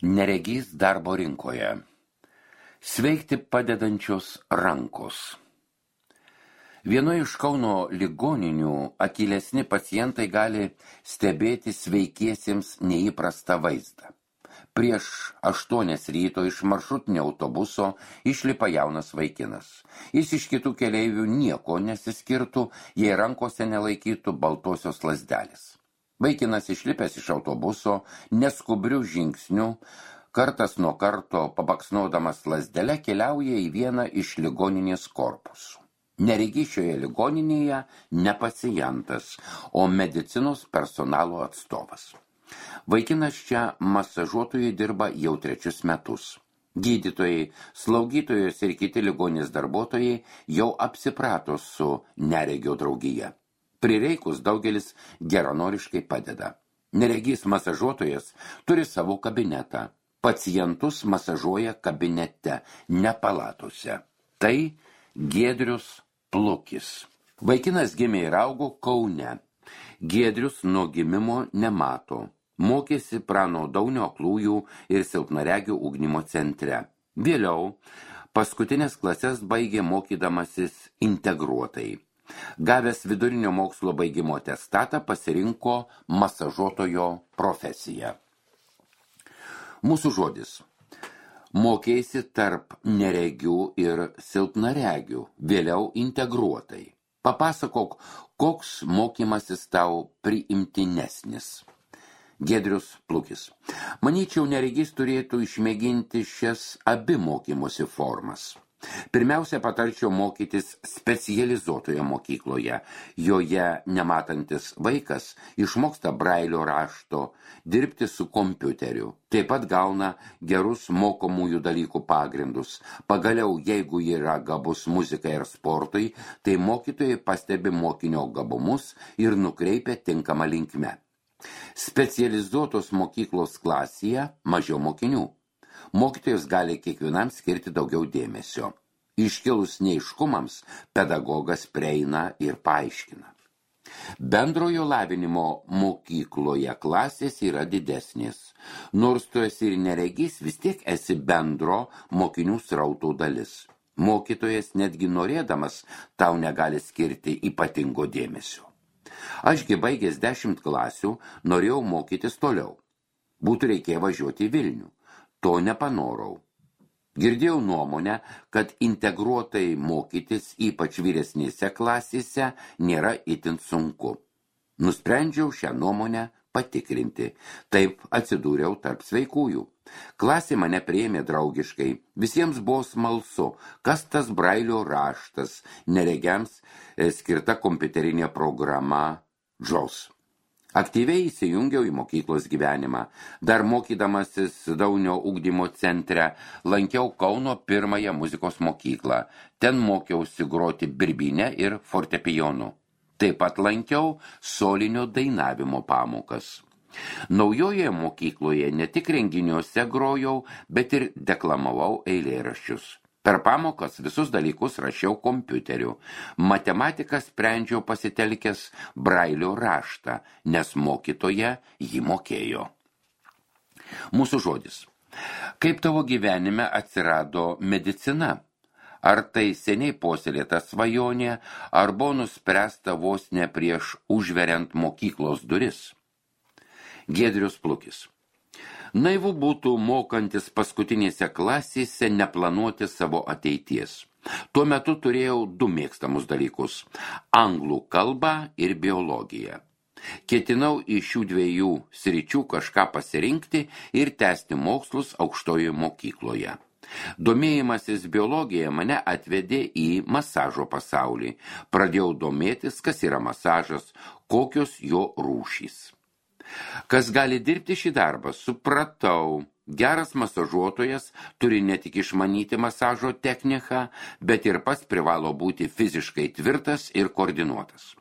Neregys darbo rinkoje. Sveikti padedančios rankos. Vienoje iš Kauno ligoninių akylesni pacientai gali stebėti sveikiesiems neįprastą vaizdą. Prieš 8 ryto iš maršrutinio autobuso išlipa jaunas vaikinas. Jis iš kitų keleivių nieko nesiskirtų, jei rankose nelaikytų baltosios lazdelės. Vaikinas išlipęs iš autobuso neskubrių žingsnių, kartas nuo karto pabaksnodamas lazdelę keliauja į vieną iš ligoninės korpusų. Neregys šioje ligoninėje ne pacientas, o medicinos personalo atstovas. Vaikinas čia masažuotojai dirba jau 3 metus. Gydytojai, slaugytojos ir kiti ligoninės darbuotojai jau apsiprato su neregio draugija. Prireikus daugelis geranoriškai padeda. Neregys masažuotojas turi savo kabinetą. Pacientus masažuoja kabinete, ne palatose. Tai Giedrius Plukis. Vaikinas gimė ir augo Kaune. Giedrius nuo gimimo nemato. Mokėsi Prano Daunio aklųjų ir silpnaregių ugdymo centre. Vėliau paskutinės klases baigė mokydamasis integruotai. Gavęs vidurinio mokslo baigimo atestatą pasirinko masažuotojo profesiją. Mūsų žodis. Mokėsi tarp neregių ir silpnaregių, vėliau integruotai. Papasakok, koks mokymasis tau priimtinesnis. Giedrius Plukis. Manyčiau, neregys turėtų išmėginti šias abi mokymosi formas. Pirmiausia, patarčiau mokytis specializuotoje mokykloje. Joje nematantis vaikas išmoksta brailio rašto, dirbti su kompiuteriu. Taip pat gauna gerus mokomųjų dalykų pagrindus. Pagaliau, jeigu yra gabus muzikai ir sportui, tai mokytojai pastebi mokinio gabumus ir nukreipia tinkamą linkme. Specializuotos mokyklos klasėje mažiau mokinių. Mokytojas gali kiekvienam skirti daugiau dėmesio. Iškilus neiškumams pedagogas prieina ir paaiškina. Bendrojo lavinimo mokykloje klasės yra didesnės. Nors tu esi ir neregys, vis tiek esi bendro mokinių srauto dalis. Mokytojas netgi norėdamas tau negali skirti ypatingo dėmesio. Ašgi baigęs 10 klasių norėjau mokytis toliau. Būtų reikėję važiuoti į Vilnių. To nepanorau. Girdėjau nuomonę, kad integruotai mokytis, ypač vyresnėse klasėse, nėra itin sunku. Nusprendžiau šią nuomonę patikrinti. Taip atsidūriau tarp sveikųjų. Klasė mane priėmė draugiškai. Visiems buvo smalsu, kas tas brailio raštas, neregiams skirta kompiuterinė programa JAWS. Aktyviai įsijungiau į mokyklos gyvenimą. Dar mokydamasis Daunio ugdymo centre lankiau Kauno 1 muzikos mokyklą. Ten mokiausi groti birbynę ir fortepijonu. Taip pat lankiau solinio dainavimo pamokas. Naujoje mokykloje ne tik renginiuose grojau, bet ir deklamavau eilėraščius. Per pamokas visus dalykus rašiau kompiuteriu. Matematiką sprendžiau pasitelkęs brailio raštą, nes mokytoja jį mokėjo. Mūsų žodis. Kaip tavo gyvenime atsirado medicina? Ar tai seniai puoselėta svajonė, ar buvo nuspręsta vos ne prieš užveriant mokyklos duris? Giedrius Plukis. Naivu būtų mokantis paskutinėse klasėse neplanuoti savo ateities. Tuo metu turėjau 2 mėgstamus dalykus – anglų kalbą ir biologiją. Ketinau iš šių 2 sričių kažką pasirinkti ir tęsti mokslus aukštojoje mokykloje. Domėjimasis biologija mane atvedė į masažo pasaulį. Pradėjau domėtis, kas yra masažas, kokios jo rūšys. Kas gali dirbti šį darbą, supratau. Geras masažuotojas turi ne tik išmanyti masažo techniką, bet ir pats privalo būti fiziškai tvirtas ir koordinuotas.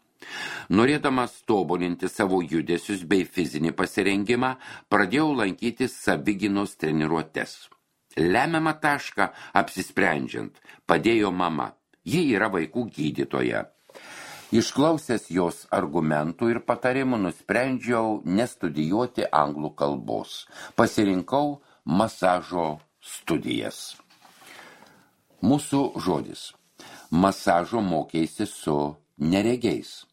Norėdamas tobulinti savo judesius bei fizinį pasirengimą, pradėjau lankyti savigynos treniruotes. Lemiamą tašką apsisprendžiant padėjo mama. Ji yra vaikų gydytoja. Išklausęs jos argumentų ir patarimų nusprendžiau nestudijuoti anglų kalbos. Pasirinkau masažo studijas. Mūsų žodis. Masažo mokėsi su neregiais.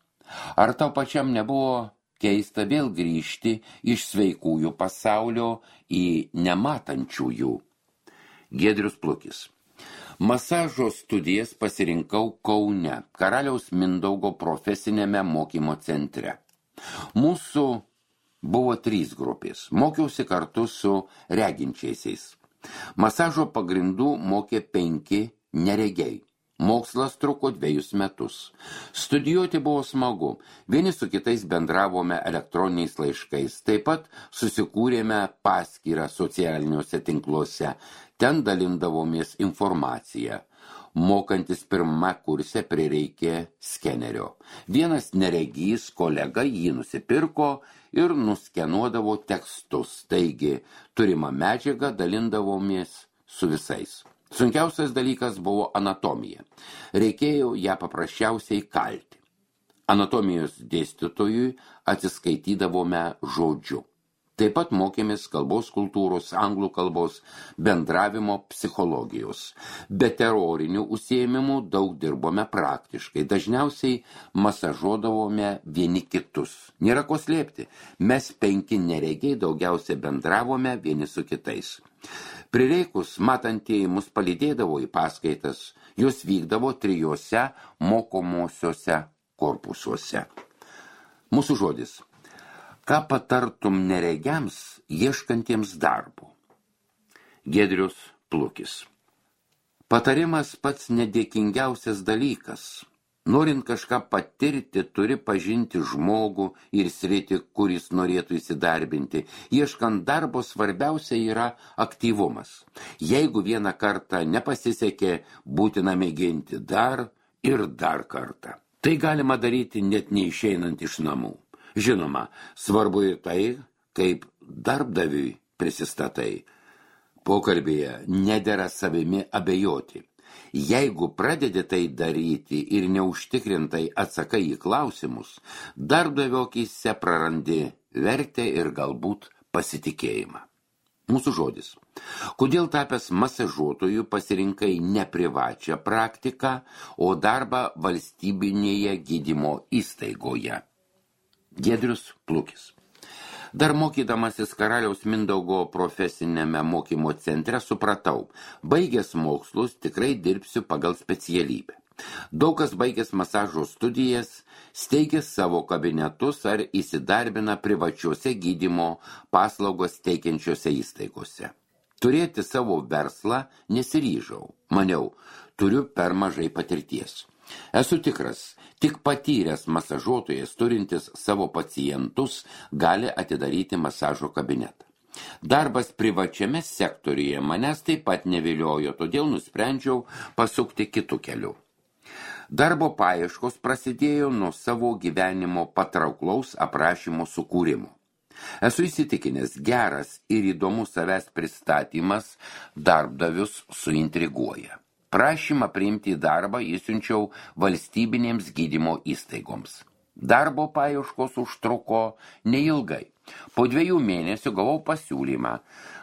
Ar tau pačiam nebuvo keista vėl grįžti iš sveikųjų pasaulio į nematančiųjų? Giedrius Plukis. Masažo studijas pasirinkau Kaune, Karaliaus Mindaugo profesinėme mokymo centre. Mūsų buvo 3 grupės. Mokiausi kartu su reginčiaisiais. Masažo pagrindų mokė 5 neregiai. Mokslas truko 2 metus. Studijuoti buvo smagu. Vieni su kitais bendravome elektroniniais laiškais. Taip pat susikūrėme paskyrą socialiniuose tinkluose. Ten dalindavomės informaciją. Mokantis 1 kurse prireikė skenerio. Vienas neregys kolega jį nusipirko ir nuskenuodavo tekstus. Taigi, turimą medžiagą dalindavomės su visais. Sunkiausias dalykas buvo anatomija. Reikėjo ją paprasčiausiai kalti. Anatomijos dėstytojui atsiskaitydavome žodžiu. Taip pat mokėmės kalbos kultūros, anglų kalbos, bendravimo psichologijos. Be terorinių užsiėmimų daug dirbome praktiškai. Dažniausiai masažuodavome vieni kitus. Nėra ko slėpti. Mes 5 neregiai daugiausiai bendravome vieni su kitais. Prireikus matantieji mus palydėdavo į paskaitas. Jos vykdavo 3 mokomosiuose korpusuose. Mūsų žodis. Ką patartum neregiams ieškantiems darbo? Giedrius Plukis. Patarimas pats nedėkingiausias dalykas. Norint kažką patirti, turi pažinti žmogų ir sritį, kuris norėtų įsidarbinti. Ieškant darbo svarbiausia yra aktyvumas. Jeigu vieną kartą nepasisekė, būtina mėginti dar ir dar kartą. Tai galima daryti net neišeinant iš namų. Žinoma, svarbu ir tai, kaip darbdaviui prisistatai. Pokalbėje nedera savimi abejoti. Jeigu pradedi tai daryti ir neužtikrintai atsakai į klausimus, darbdavio akyse prarandi vertę ir galbūt pasitikėjimą. Mūsų žodis. Kodėl tapęs masažuotoju pasirinkai ne privačią praktiką, o darbą valstybinėje gydymo įstaigoje? Giedrius Plukis. Dar mokydamasis Karaliaus Mindaugo profesinėme mokymo centre supratau, baigęs mokslus tikrai dirbsiu pagal specialybę. Daug kas baigęs masažo studijas, steigia savo kabinetus ar įsidarbina privačiuose gydymo paslaugos teikiančiose įstaigose. Turėti savo verslą nesiryžau. Maniau, turiu per mažai patirties. Esu tikras, tik patyręs masažuotojas turintis savo pacientus gali atidaryti masažo kabinetą. Darbas privačiame sektoriuje manęs taip pat neviliojo, todėl nusprendžiau pasukti kitų kelių. Darbo paieškos prasidėjo nuo savo gyvenimo patrauklaus aprašymo sukūrimo. Esu įsitikinęs, geras ir įdomus savęs pristatymas darbdavius suintriguoja. Prašymą priimti į darbą įsiunčiau valstybinėms gydymo įstaigoms. Darbo paieškos užtruko neilgai. Po 2 mėnesių gavau pasiūlymą.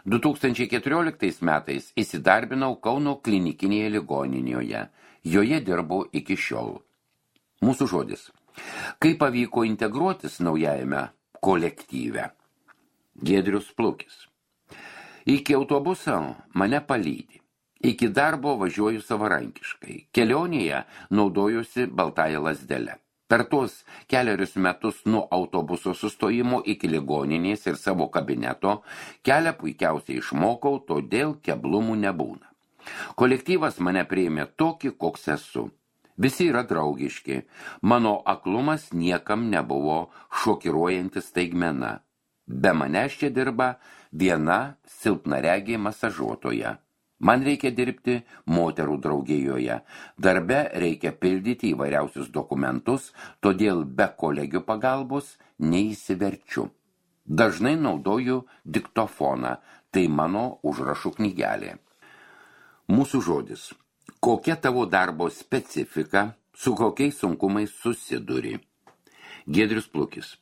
2014 metais įsidarbinau Kauno klinikinėje ligoninėje. Joje dirbu iki šiol. Mūsų žodis. Kaip pavyko integruotis naujajame kolektyve? Giedrius Plukis. Iki autobuso mane palydi. Iki darbo važiuoju savarankiškai. Kelionėje naudojusi baltąją lazdelę. Per tuos 4 metus nuo autobuso sustojimo iki ligoninės ir savo kabineto kelią puikiausiai išmokau, todėl keblumų nebūna. Kolektyvas mane priėmė tokį, koks esu. Visi yra draugiški. Mano aklumas niekam nebuvo šokiruojanti staigmena. Be manęs čia dirba viena silpnaregė masažuotoja. Man reikia dirbti moterų draugijoje. Darbe reikia pildyti įvairiausius dokumentus, todėl be kolegių pagalbos neįsiverčiu. Dažnai naudoju diktofoną, tai mano užrašų knygelė. Mūsų žodis. Kokia tavo darbo specifika, su kokiais sunkumais susiduri? Giedrius Plukis.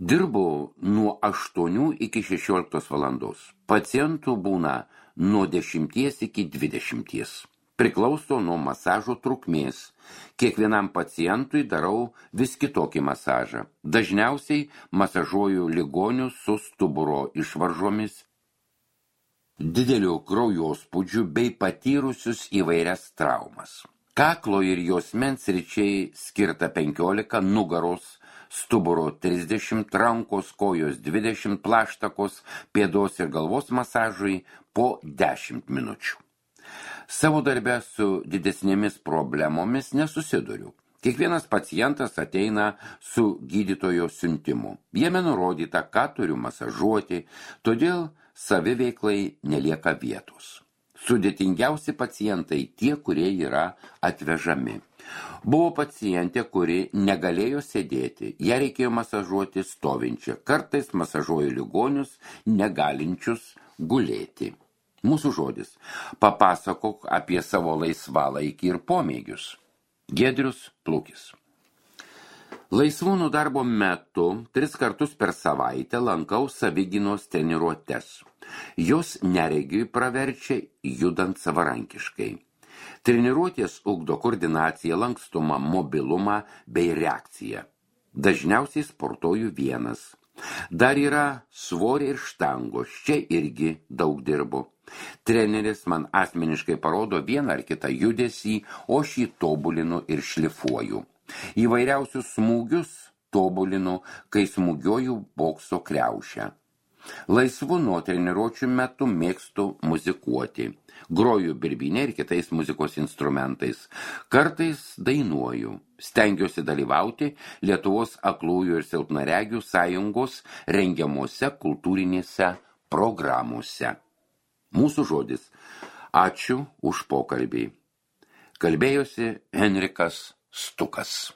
Dirbu nuo 8 iki 16 valandos. Pacientų būna nuo 10 iki 20. Priklauso nuo masažo trukmės. Kiekvienam pacientui darau vis kitokį masažą. Dažniausiai masažuoju ligonius su stuburo išvaržomis, dideliu kraujospūdžiu bei patyrusius įvairias traumas. Kaklo ir juosmens sričiai skirta 15, nugaros, stuburo 30, rankos, kojos 20, plaštakos, pėdos ir galvos masažui po 10 minučių. Savo darbe su didesnėmis problemomis nesusiduriu. Kiekvienas pacientas ateina su gydytojo siuntimu. Jame nurodyta, ką turiu masažuoti, todėl saviveiklai nelieka vietos. Sudėtingiausi pacientai tie, kurie yra atvežami. Buvo pacientė, kuri negalėjo sėdėti, ją reikėjo masažuoti stovinčią. Kartais masažuoju ligonius, negalinčius gulėti. Mūsų žodis. Papasakok apie savo laisvalaikį ir pomėgius. Giedrius Plukis. Laisvūnų darbo metu 3 kartus per savaitę lankau savigynos treniruotes. Jos neregiui praverčia judant savarankiškai. Treniruotės ugdo koordinaciją, lankstumą, mobilumą bei reakciją. Dažniausiai sportuoju vienas. Dar yra svoriai ir štangos, čia irgi daug dirbu. Treneris man asmeniškai parodo vieną ar kitą judesį, o šį tobulinu ir šlifuoju. Įvairiausius smūgius tobulinu, kai smūgiuoju bokso kriaušę. Laisvu nuo treniruočių metu mėgstu muzikuoti. Groju birbynę ir kitais muzikos instrumentais. Kartais dainuoju. Stengiuosi dalyvauti Lietuvos aklųjų ir silpnaregių sąjungos rengiamuose kultūrinėse programuose. Mūsų žodis. Ačiū už pokalbį. Kalbėjosi Henrikas Stukas.